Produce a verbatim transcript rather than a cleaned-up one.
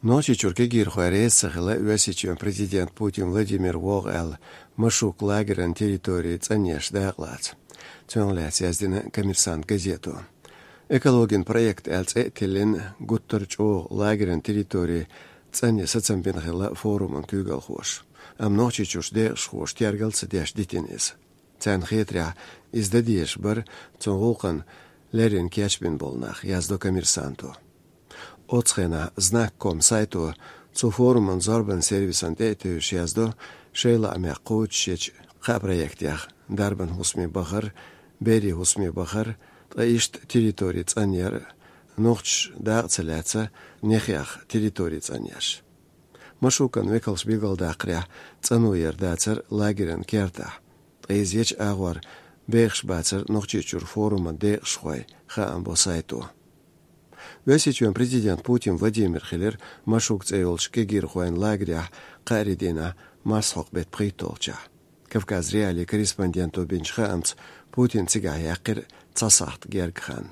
Нохчийчуьра кегийрхой реза ца хилла Оьрсийчоьнан президент Путин Владимир вогӀу аьлла, Машук лагеран территори цӀанъеш дакъалаца. Цунах лаьцна яздина «Коммерсант» газето. «Экологин проект» аьлла цӀе а тиллина, гуттар а чӀогӀа лагеран территори цӀанъян сацам бина хилла форуман куьйгалхоша. Амма Нохчийчуьрчу декъашхоша тергал а ца деш дитина иза. Царна хетарехь, иза дан дезаш бара цу гӀуллакхна леррина кечбина болу нах, яздо «Коммерсанто». Оцу хенахь «Знак ком» сайто цу форуман зорбанан сервисан тӀе а тевжаш яздо, шайн лаамех кхочушъечу кхаа проектех: дарбан хӀусаме бахар, берийн хӀусаме бахар, ткъа иштта территори цӀанъяр, нохчаша дакъа ца лаьцна, нехех территори цӀанъеш. Машукан векалша билгалдаккхарехь, цӀано яр дацара лагеран кертахь, ткъа иза ечу агӀор бехаш бацара Нохчийчуьра форуман декъашхой, хаам бо сайто. Оьрсийчоьнан президент Путин Владимир хилира Машук цӀе йолчу кегийрхойн лагерехь кхаарин дийнахь, марсхьокху беттан пхийтталгӀачохь. «Кавказ.Реалии» корреспонденто бинчу хаамца, Путин цигахь яьккхира цхьа сахьт гергга хан.